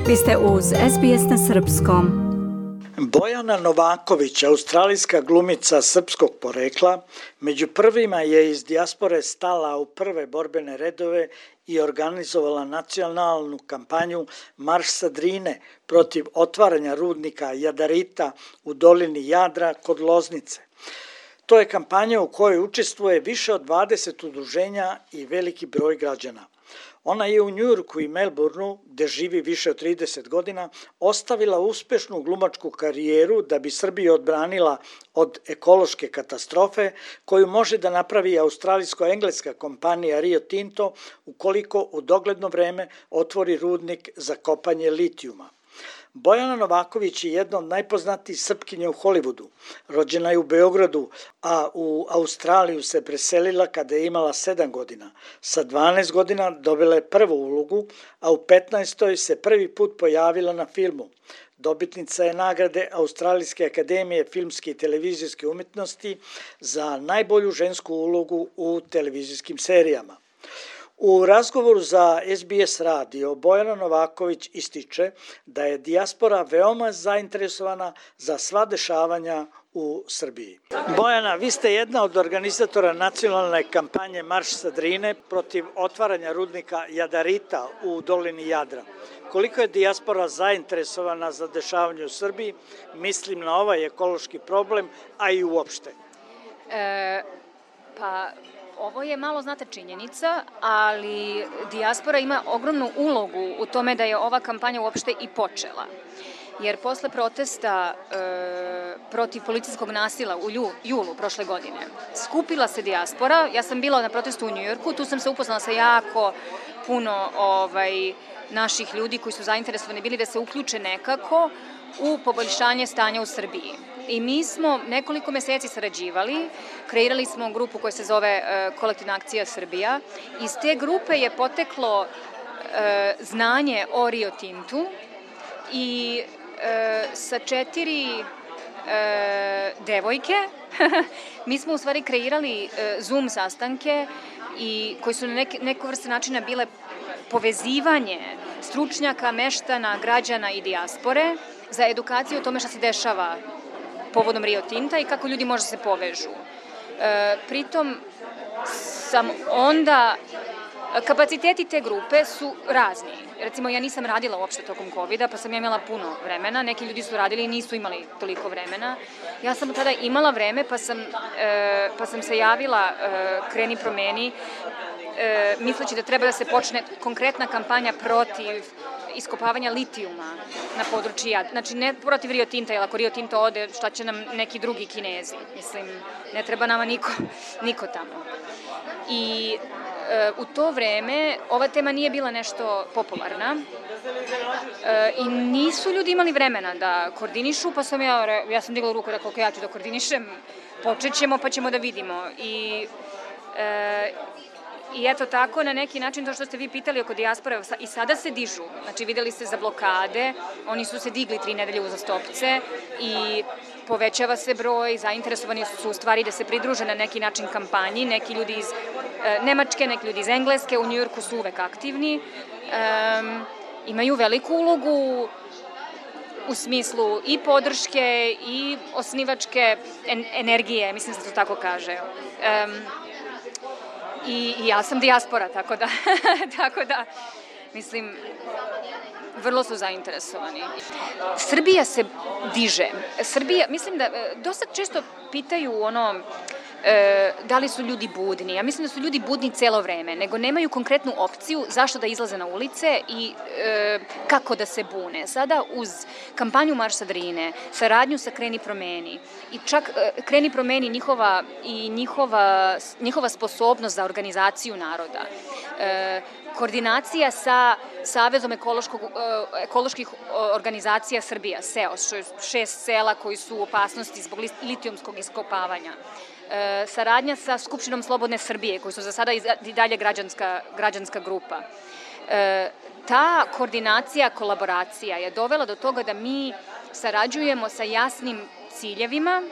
Vi ste uz SBS na srpskom. Bojana Novaković, australijska glumica srpskog porekla, među prvima je iz dijaspore stala u prve borbene redove i organizovala nacionalnu kampanju Marš sa Drine protiv otvaranja rudnika jadarita u dolini Jadra kod Loznice. To je kampanja u kojoj učestvuje više od 20 udruženja i veliki broj građana. Ona je u Njujorku i Melbourneu, gde živi više od 30 godina, ostavila uspešnu glumačku karijeru da bi Srbiju odbranila od ekološke katastrofe koju može da napravi australijsko-engleska kompanija Rio Tinto ukoliko u dogledno vreme otvori rudnik za kopanje litijuma. Bojana Novaković je jedna od najpoznatijih Srpkinja u Hollywoodu. Rođena je u Beogradu, a u Australiju se preselila kada je imala 7 godina. Sa 12 godina dobila je prvu ulogu, a u 15. se prvi put pojavila na filmu. Dobitnica je nagrade Australijske akademije filmske i televizijske umetnosti za najbolju žensku ulogu u televizijskim serijama. U razgovoru za SBS radio Bojana Novaković ističe da je dijaspora veoma zainteresovana za sva dešavanja u Srbiji. Bojana, vi ste jedna od organizatora nacionalne kampanje Marš sa Drine protiv otvaranja rudnika jadarita u dolini Jadra. Koliko je dijaspora zainteresovana za dešavanje u Srbiji, mislim na ovaj ekološki problem, a i uopšte? Ovo je malo znata činjenica, ali dijaspora ima ogromnu ulogu u tome da je ova kampanja uopšte i počela. Jer posle protesta protiv policijskog nasilja u julu prošle godine skupila se dijaspora. Ja sam bila na protestu u Njujorku, tu sam se upoznala sa jako puno naših ljudi koji su zainteresovani bili da se uključe nekako u poboljšanje stanja u Srbiji. I mi smo nekoliko meseci sarađivali, kreirali smo grupu koja se zove Kolektivna akcija Srbija. Iz te grupe je poteklo znanje o Rio Tintu i sa 4 devojke mi smo u stvari kreirali Zoom sastanke i koji su na neku vrste načina bile povezivanje stručnjaka, meštana, građana i dijaspore za edukaciju o tome šta se dešava povodom Rio Tinta i kako ljudi može se povežu. Pritom sam onda, kapaciteti te grupe su razni. Recimo, ja nisam radila uopšte tokom COVID-a, pa sam ja imala puno vremena. Neki ljudi su radili i nisu imali toliko vremena. Ja sam tada imala vreme, pa sam se javila Kreni promeni, misleći da treba da se počne konkretna kampanja protiv iskopavanja litijuma na području Jadra. Znači, ne protiv Rio Tinta, jer ako Rio Tinto ode, šta će nam neki drugi Kinezi? Mislim, ne treba nama niko tamo. I u to vreme ova tema nije bila nešto popularna i nisu ljudi imali vremena da koordinišu, pa sam ja sam digla ruku, rekla, ja ću da koordinišem, počet ćemo pa ćemo da vidimo. I eto tako, na neki način, to što ste vi pitali oko dijaspore, i sada se dižu. Znači, videli ste za blokade, oni su se digli 3 nedelje uzastopce i povećava se broj, zainteresovani su u stvari da se pridruže na neki način kampanji. Neki ljudi iz Nemačke, neki ljudi iz Engleske, u Njujorku su uvek aktivni. Imaju veliku ulogu u smislu i podrške i osnivačke energije, mislim da se to tako kaže. I ja sam dijaspora, tako da, mislim, vrlo su zainteresovani. Srbija se diže. Mislim da dosta često pitaju da li su ljudi budni. Ja mislim da su ljudi budni celo vreme, nego nemaju konkretnu opciju zašto da izlaze na ulice i kako da se bune. Sada uz kampanju Marš sa Drine, saradnju sa Kreni promeni i čak Kreni promeni njihova sposobnost za organizaciju naroda, koordinacija sa Savezom ekoloških organizacija Srbija, SEO, 6 sela koji su u opasnosti zbog litijumskog iskopavanja, saradnja sa Skupštinom Slobodne Srbije, koji su za sada i dalje građanska grupa. Ta koordinacija, kolaboracija je dovela do toga da mi sarađujemo sa jasnim ciljevima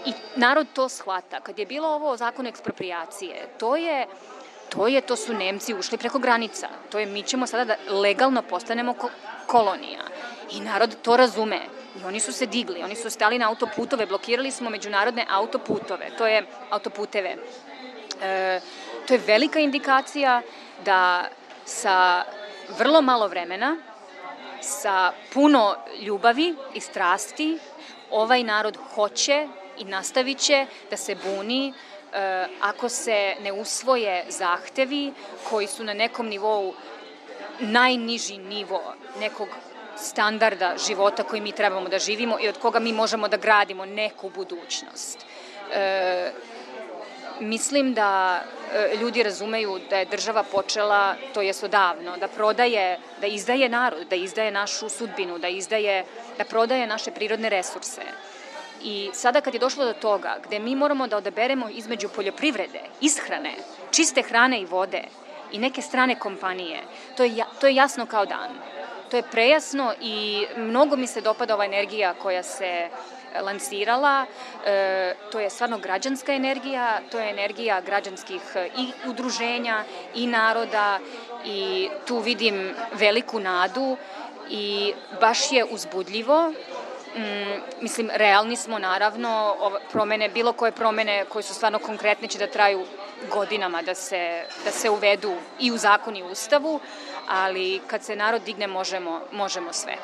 i narod to shvata. Kad je bilo ovo o zakonu ekspropriacije, to je to su Nemci ušli preko granica. Mi ćemo sada da legalno postanemo kolonija. I narod to razume. I oni su se digli, oni su stali na autoputove, blokirali smo međunarodne autoputeve, autoputeve. To je velika indikacija da sa vrlo malo vremena, sa puno ljubavi i strasti, ovaj narod hoće i nastavit će da se buni ako se ne usvoje zahtevi koji su na nekom nivou najniži nivo nekog standarda života koji mi trebamo da živimo i od koga mi možemo da gradimo neku budućnost. Mislim da ljudi razumeju da je država počela, to jest odavno, da prodaje, da izdaje narod, da izdaje našu sudbinu, da prodaje naše prirodne resurse. I sada kad je došlo do toga gde mi moramo da odaberemo između poljoprivrede, ishrane, čiste hrane i vode i neke strane kompanije, to je jasno kao dan. To je prejasno i mnogo mi se dopada ova energija koja se lansirala. To je stvarno građanska energija, to je energija građanskih i udruženja i naroda i tu vidim veliku nadu i baš je uzbudljivo. Mislim, realni smo naravno, promene, bilo koje promene koje su stvarno konkretne će da traju godinama da se uvedu i u zakon i u ustavu, ali kad se narod digne možemo sve.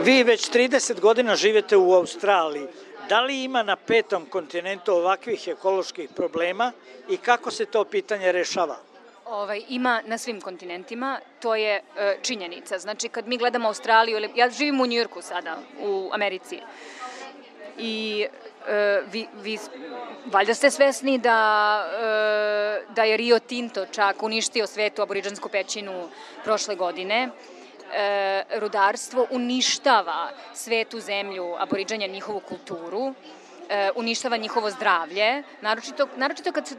Vi već 30 godina živete u Australiji. Da li ima na 5. kontinentu ovakvih ekoloških problema i kako se to pitanje rešava? Ima na svim kontinentima, to je činjenica. Znači, kad mi gledamo Australiju, ja živim u Njujorku sada, u Americi, i vi valjda ste svesni da je Rio Tinto čak uništio svetu aboriđansku pećinu prošle godine. Rudarstvo uništava svetu zemlju, aboriđanja, njihovu kulturu, uništava njihovo zdravlje, naročito kad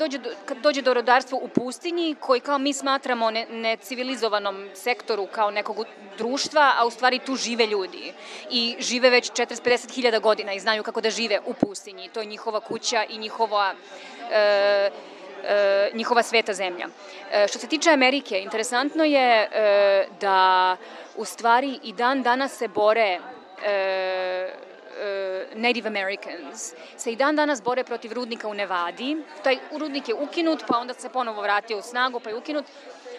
dođe do rudarstva u pustinji, koji kao mi smatramo necivilizovanom sektoru kao nekog društva, a u stvari tu žive ljudi. I žive već 40-50 hiljada godina i znaju kako da žive u pustinji. To je njihova kuća i njihova sveta zemlja. Što se tiče Amerike, interesantno je da u stvari i dan danas se bore Native Americans, se i dan danas bore protiv rudnika u Nevadi. Taj rudnik je ukinut, pa onda se ponovo vratio u snagu, pa je ukinut.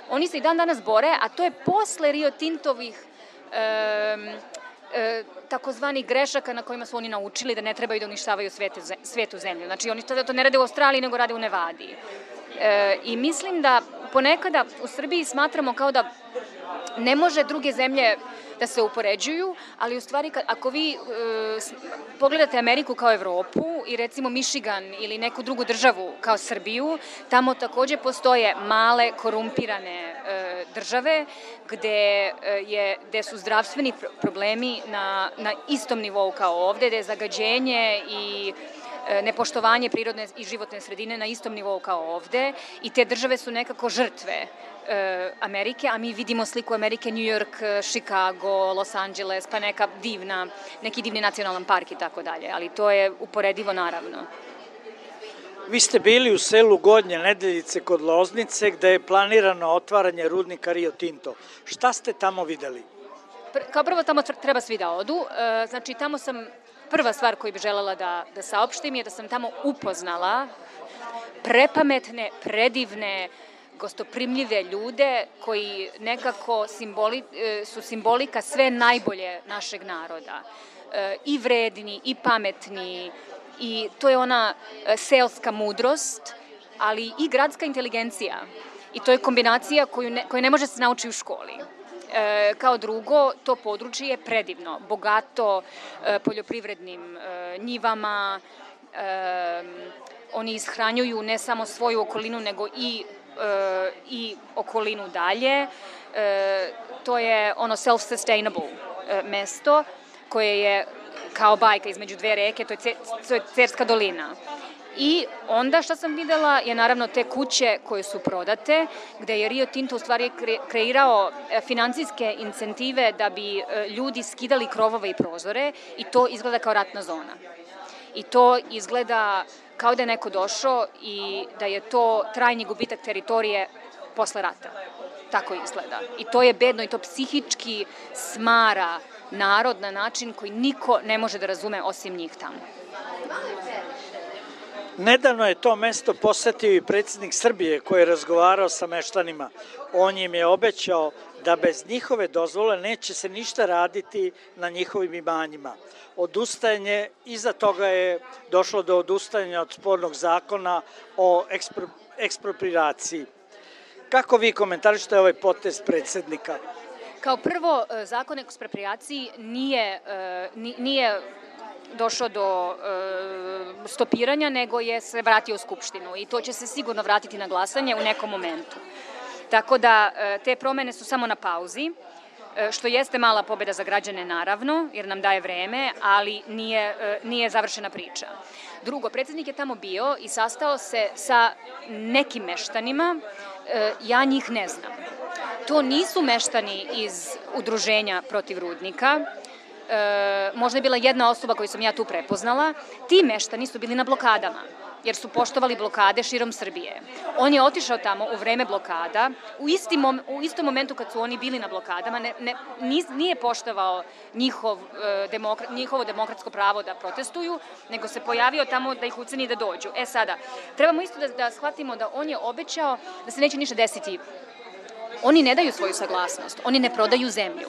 Oni se i dan danas bore, a to je posle Rio Tintovih takozvanih grešaka na kojima su oni naučili da ne trebaju da uništavaju svetu zemlju. Znači, oni to ne rade u Australiji, nego rade u Nevadi. I mislim da ponekada u Srbiji smatramo kao da ne može druge zemlje da se upoređuju, ali u stvari ako vi pogledate Ameriku kao Evropu i recimo Michigan ili neku drugu državu kao Srbiju, tamo takođe postoje male korumpirane države gde su zdravstveni problemi na istom nivou kao ovde, gde je zagađenje i nepoštovanje prirodne i životne sredine na istom nivou kao ovde i te države su nekako žrtve Amerike, a mi vidimo sliku Amerike, New York, Chicago, Los Angeles, pa neki divni nacionalan park i tako dalje, ali to je uporedivo naravno. Vi ste bili u selu Gornje Nedeljice kod Loznice gde je planirano otvaranje rudnika Rio Tinto. Šta ste tamo videli? Kao prvo tamo treba svi da odu, znači tamo sam, prva stvar koju bih želela da saopštim je da sam tamo upoznala prepametne, predivne, gostoprimljive ljude koji nekako su simbolika sve najbolje našeg naroda. I vredni, i pametni, i to je ona seoska mudrost, ali i gradska inteligencija. I to je kombinacija koju ne može se naučiti u školi. Kao drugo, to područje je predivno, bogato poljoprivrednim njivama, oni ishranjuju ne samo svoju okolinu, nego i okolinu dalje. To je ono self-sustainable mesto koje je kao bajka između dve reke, to je Cerska dolina. I onda što sam videla je naravno te kuće koje su prodate, gde je Rio Tinto u stvari kreirao finansijske incentive da bi ljudi skidali krovove i prozore i to izgleda kao ratna zona. I to izgleda kao da je neko došao i da je to trajni gubitak teritorije posle rata. Tako izgleda. I to je bedno i to psihički smara narod na način koji niko ne može da razume osim njih tamo. Nedavno je to mesto posetio i predsjednik Srbije koji je razgovarao sa meštanima. On im je obećao da bez njihove dozvole neće se ništa raditi na njihovim imanjima. Odustajanje, iza toga je došlo do odustajanja od spornog zakona o ekspropriaciji. Kako vi komentarišete ovaj potez predsjednika? Kao prvo, zakon o ekspropriaciji nije došao do stopiranja, nego je se vratio u Skupštinu i to će se sigurno vratiti na glasanje u nekom momentu. Tako da te promene su samo na pauzi, što jeste mala pobeda za građane naravno, jer nam daje vreme, ali nije završena priča. Drugo, predsjednik je tamo bio i sastao se sa nekim meštanima, ja njih ne znam. To nisu meštani iz udruženja protiv rudnika, možda je bila jedna osoba koju sam ja tu prepoznala, ti meštani su bili na blokadama, jer su poštovali blokade širom Srbije. On je otišao tamo u vreme blokada, u istom momentu kad su oni bili na blokadama, nije poštovao njihovo demokratsko pravo da protestuju, nego se pojavio tamo da ih uceni da dođu. Sada, trebamo isto da shvatimo da on je obećao da se neće ništa desiti. Oni ne daju svoju saglasnost, oni ne prodaju zemlju.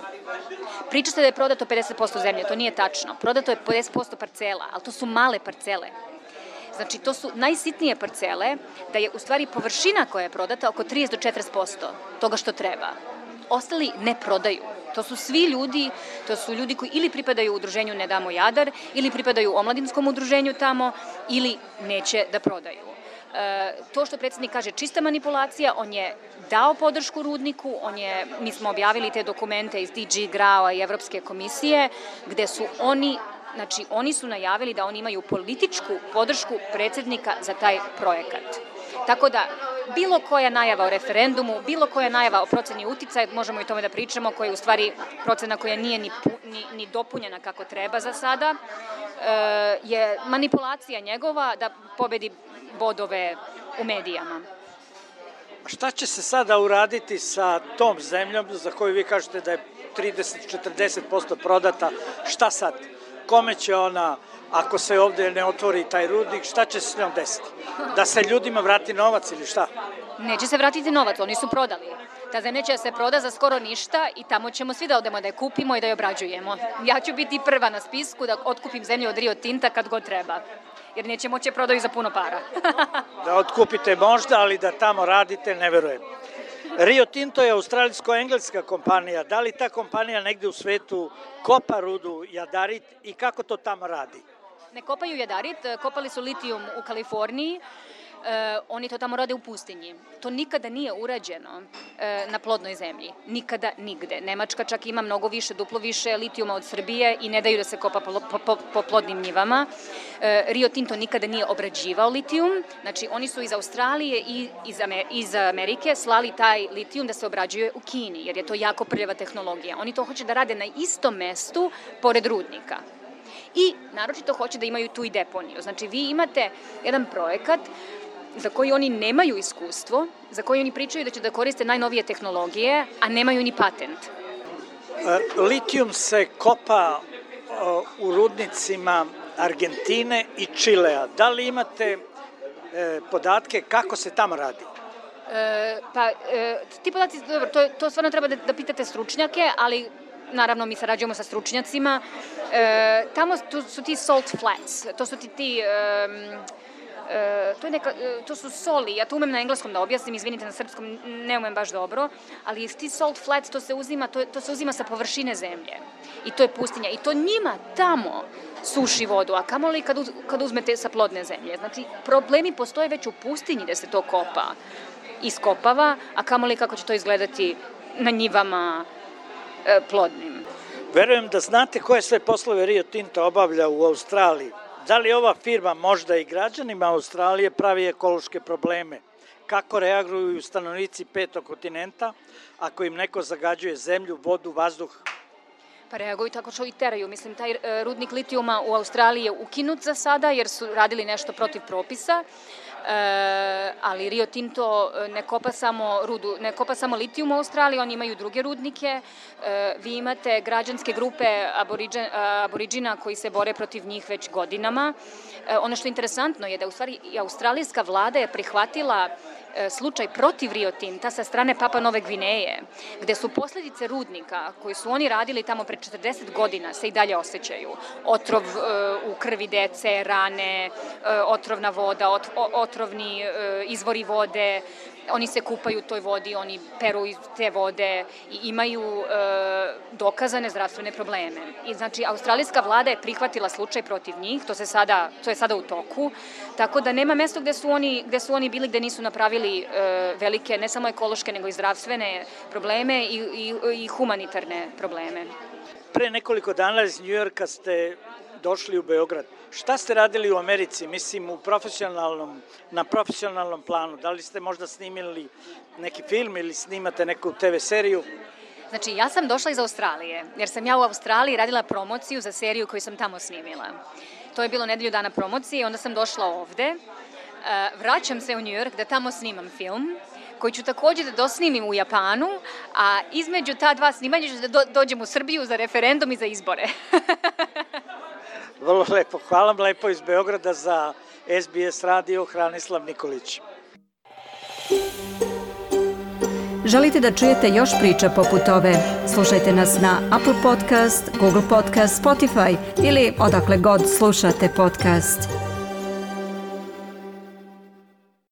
Pričate da je prodato 50% zemlje, to nije tačno. Prodato je 50% parcela, ali to su male parcele. Znači, to su najsitnije parcele, da je u stvari površina koja je prodata oko 30 do 40% toga što treba. Ostali ne prodaju. To su svi ljudi, to su ljudi koji ili pripadaju udruženju Ne damo Jadar, ili pripadaju omladinskom udruženju tamo, ili neće da prodaju. To što predsjednik kaže čista manipulacija, on je dao podršku rudniku, mi smo objavili te dokumente iz DG GRAO-a i Evropske komisije, gde su oni su najavili da oni imaju političku podršku predsjednika za taj projekat. Tako da, bilo koja najava o referendumu, bilo koja najava o proceni uticaja, možemo i tome da pričamo, koja je u stvari procena koja nije ni dopunjena kako treba za sada, je manipulacija njegova da pobedi bodove u medijama. Šta će se sada uraditi sa tom zemljom za koju vi kažete da je 30-40% prodata? Šta sad? Kome će ona, ako se ovde ne otvori taj rudnik, šta će se s njom desiti? Da se ljudima vrati novac ili šta? Neće se vratiti novac, oni su prodali. Ta zemlja će se proda za skoro ništa i tamo ćemo svi da odemo da je kupimo i da je obrađujemo. Ja ću biti prva na spisku da otkupim zemlju od Rio Tinta kad god treba. Jer neće moći prodaju za puno para. Da otkupite možda, ali da tamo radite, ne verujem. Rio Tinto je australijsko-engleska kompanija. Da li ta kompanija negde u svetu kopa rudu jadarit i kako to tamo radi? Ne kopaju jadarit, kopali su litijum u Kaliforniji. Oni to tamo rade u pustinji. To nikada nije urađeno na plodnoj zemlji. Nikada, nigde. Nemačka čak ima mnogo više, duplo više litijuma od Srbije i ne daju da se kopa po plodnim njivama. Rio Tinto nikada nije obrađivao litijum. Znači, oni su iz Australije i iz Amerike slali taj litijum da se obrađuje u Kini, jer je to jako prljava tehnologija. Oni to hoće da rade na istom mestu, pored rudnika. I naročito hoće da imaju tu i deponiju. Znači, vi imate jedan projekat za koji oni nemaju iskustvo, za koji oni pričaju da će da koriste najnovije tehnologije, a nemaju ni patent. Litijum se kopa u rudnicima Argentine i Čilea. Da li imate podatke kako se tamo radi? Ti podaci, dobro, to stvarno treba da pitate stručnjake, ali naravno mi sarađujemo sa stručnjacima. Tamo su ti salt flats, to su to su soli, ja to umem na engleskom da objasnim, izvinite, na srpskom ne umem baš dobro, ali ti salt flats, to se uzima sa površine zemlje i to je pustinja i to njima tamo suši vodu, a kamoli kad uzmete sa plodne zemlje. Znači, problemi postoje već u pustinji da se to kopa, iskopava, a kamoli kako će to izgledati na njivama plodnim. Verujem da znate koje sve poslove Rio Tinto obavlja u Australiji. Da li ova firma možda i građanima Australije pravi ekološke probleme? Kako reaguju stanovnici 5. kontinenta ako im neko zagađuje zemlju, vodu, vazduh? Pa reaguju tako što i teraju. Mislim, taj rudnik litijuma u Australiji je ukinut za sada jer su radili nešto protiv propisa, ali Rio Tinto ne kopa samo litijum u Australiji, oni imaju druge rudnike. Vi imate građanske grupe aboriđina koji se bore protiv njih već godinama. Ono što je interesantno je da u stvari i australijska vlada je prihvatila slučaj protiv Rio Tinta sa strane Papua Nove Gvineje, gde su posljedice rudnika koji su oni radili tamo pre 40 godina se i dalje osjećaju. Otrov u krvi dece, rane, otrovna voda, otrovni izvori vode, oni se kupaju u toj vodi, oni peru iz te vode i imaju dokazane zdravstvene probleme. I znači, australijska vlada je prihvatila slučaj protiv njih, to je sada u toku, tako da nema mesta gde su oni bili, gde nisu napravili velike, ne samo ekološke, nego i zdravstvene probleme i humanitarne probleme. Pre nekoliko dana iz Njujorka ste došli u Beograd. Šta ste radili u Americi, mislim na profesionalnom planu? Da li ste možda snimili neki film ili snimate neku TV seriju? Znači, ja sam došla iz Australije, jer sam ja u Australiji radila promociju za seriju koju sam tamo snimila. To je bilo nedelju dana promocije i onda sam došla ovde. Vraćam se u New York da tamo snimam film, koji ću takođe da dosnimim u Japanu, a između ta dva snimanja ću da dođem u Srbiju za referendum i za izbore. Vrlo lepo. Hvala vam lepo iz Beograda za SBS radio, Hranislav Nikolić. Želite da čujete još priča poput ove? Slušajte nas na Apple Podcast, Google Podcast, Spotify ili odakle god slušate podcast.